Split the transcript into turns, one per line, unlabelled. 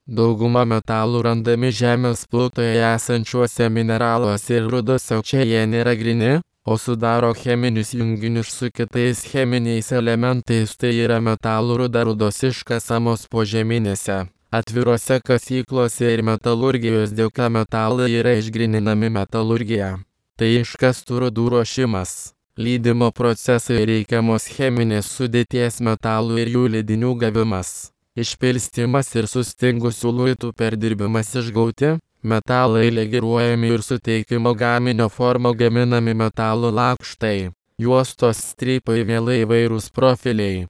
Dauguma metalų randami žemės plutoje esančiuose mineraluose ir rudose, čia jie nėra gryni, o sudaro cheminius junginius su kitais cheminiais elementais, tai yra metalų rudos iškasamos požeminėse, atvirose kasyklose ir metalurgijos dėka metalai yra išgryninami metalurgija. Tai iškastų rudų ruošimas, lydimo procesai, reikiamos cheminės sudėties metalų ir jų lydinių gavimas, išpilstymas ir sustingusių luitų perdirbimas, išgauti metalai legiruojami ir suteikimo gaminio forma gaminami metalų lakštai, juostos, strypai, vėlai įvairūs profiliai.